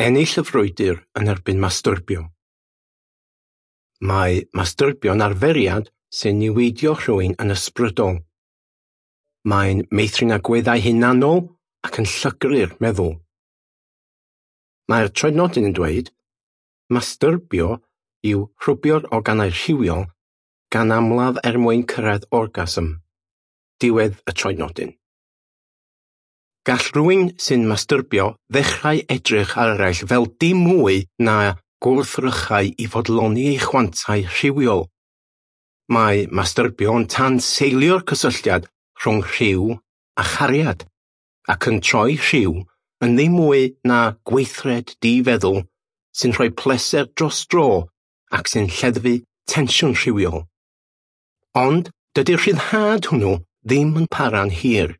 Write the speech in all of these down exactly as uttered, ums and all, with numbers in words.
Ennill y frwydr yn erbyn mastyrbio. Mae mastyrbio'n arferiad sy'n niweidio rhywun yn ysbrydol. Mae'n meithrin agweddau hunanol ac yn llygru'r meddwl. Mae'r troednodyn yn dweud, mastyrbio yw rhwbio'r organau rhywiol gan amlaf er mwyn cyrraedd orgasm. Diwedd y troednodyn. Gall rhywun sy'n mastyrbio ddechrau edrych ar eraill fel dim mwy na gwrthrychau i fodloni ei chwantau rhywiol. Mae mastyrbio yn tanseilio'r cysylltiad rhwng rhyw a chariad, ac yn troi rhyw yn ddim mwy na gweithred difeddwl sy'n rhoi pleser dros dro ac sy'n lleddfu tensiwn rhywiol. Ond dydy'r rhyddhad hwnnw ddim yn para'n hir.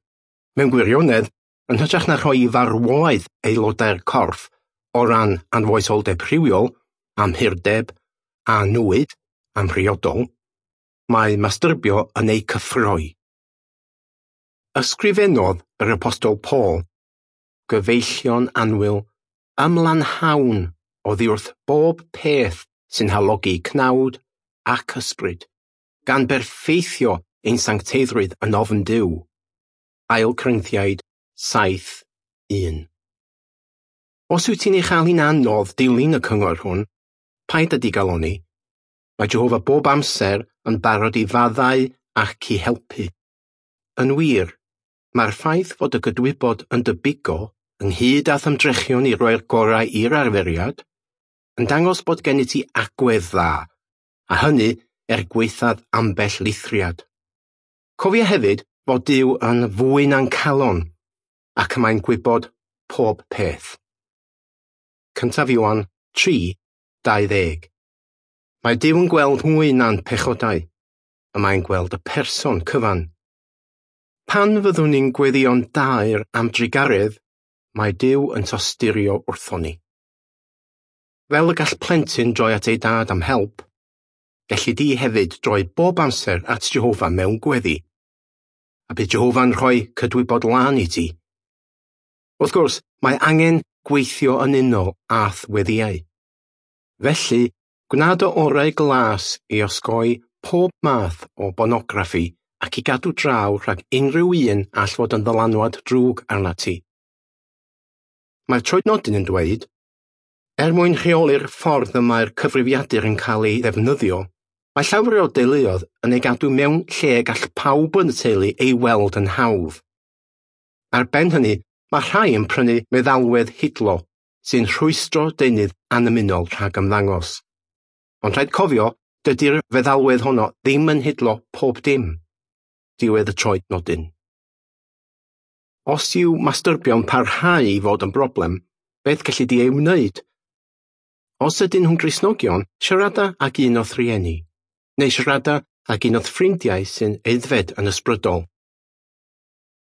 Mewn gwirionedd, yn hytrach na rhoi i farwolaeth aelodau'r corff o ran anfoesoldeb rhywiol, amhurdeb a nwyd amhriodol, mae mastyrbio yn ei cyffroi. Ysgrifennodd yr Apostol Paul, gyfeillion annwyl, ymlanhawn oddi wrth bob peth sy'n halogi cnawd ac ysbryd, gan berffeithio ein sancteiddrwydd yn ofn Duw. Ail Corinthiaid saith un. Os wyt ti'n ei chael hi'n anodd dilyn y cyngor hwn, paid â digalonni. Mae Jehofa bob amser yn barod i faddau ac i helpu. Yn wir, mae'r ffaith fod y gydwybod yn dy bigo, ynghyd â'th ymdrechion i roi'r gorau i'r arferiad, yn dangos bod gen i ti agwedd dda, a hynny er gwaethaf ambell lithriad. Cofia hefyd fod Duw yn fwy na'n calon, ac mae'n gwybod pob peth. Cyntaf Ioan tri dau ddeg. Mae Duw yn gweld mwy na'n pechodau, y mae'n gweld y person cyfan. Pan fyddwn ni'n gweddïo'n daer am drugaredd, mae Duw yn tosturio wrthon ni. Fel y gall plentyn droi at ei dad am help, gelli di hefyd droi bob amser at Jehofa mewn gweddi, a bydd Jehofa'n rhoi cydwybod lân i ti. Wrth gwrs, mae angen gweithio yn unol â'th weddïau. Felly, gwna dy orau glas i osgoi pob math o bornograffi ac i gadw draw rhag unrhyw un all fod yn ddylanwad drwg arnat ti. Mae'r troednodyn yn dweud, er mwyn rheoli'r ffordd y mae'r cyfrifiadur yn cael ei ddefnyddio, mae llawer o deuluoedd yn ei gadw mewn lle gall pawb yn y teulu ei weld yn hawdd. Ar ben hynny, mae rhai yn prynu meddalwedd hidlo sy'n rhwystro deunydd annymunol rhag ymddangos. Ond rhaid cofio, dydy'r feddalwedd honno ddim yn hidlo pob dim. Diwedd y troednodyn. Os yw mastyrbio'n parhau i fod yn broblem, beth gelli di ei wneud? Os ydyn nhw'n Gristnogion, siarada ag un o'th rieni, neu siarada ag un o'th ffrindiau sy'n aeddfed yn ysbrydol.